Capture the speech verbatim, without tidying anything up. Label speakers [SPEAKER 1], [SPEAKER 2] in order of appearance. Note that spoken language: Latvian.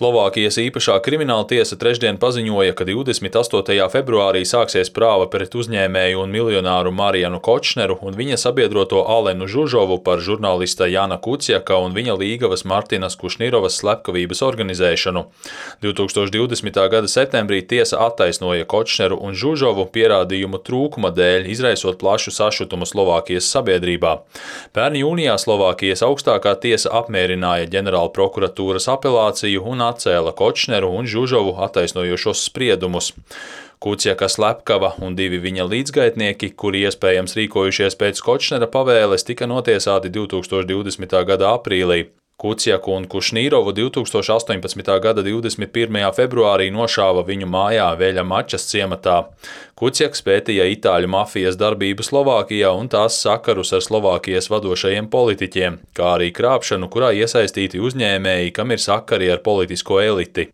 [SPEAKER 1] Slovākijas īpašā krimināla tiesa trešdien paziņoja, ka divdesmit astotajā februārī sāksies prāva pret uzņēmēju un miljonāru Marianu Kočneru un viņa sabiedroto Alenu Žužovu par žurnālista Jana Kuciaka un viņa līgavas Martinas Kušnirovas slepkavības organizēšanu. divi tūkstoši divdesmitā gada septembrī tiesa attaisnoja Kočneru un Žužovu pierādījumu trūkuma dēļ, izraisot plašu sašutumu Slovākijas sabiedrībā. Pērn jūnijā Slovākijas augstākā tiesa apmierināja ģenerālprokuratūras apelāciju un atcēla Kočneru un Žužovu attaisnojošos spriedumus. Kuciaka slepkava un divi viņa līdzgaitnieki, kuri iespējams rīkojušies pēc Kočnera pavēles, tika notiesāti divi tūkstoši divdesmitā gada aprīlī. Kuciaku un Kušnirovu divi tūkstoši astoņpadsmitā gada divdesmit pirmajā februārī nošāva viņu mājā Veļa Mačas ciematā. Kuciaks pētīja itāļu mafijas darbību Slovākijā un tās sakarus ar Slovākijas vadošajiem politiķiem, kā arī krāpšanu, kurā iesaistīti uzņēmēji, kam ir sakari ar politisko eliti.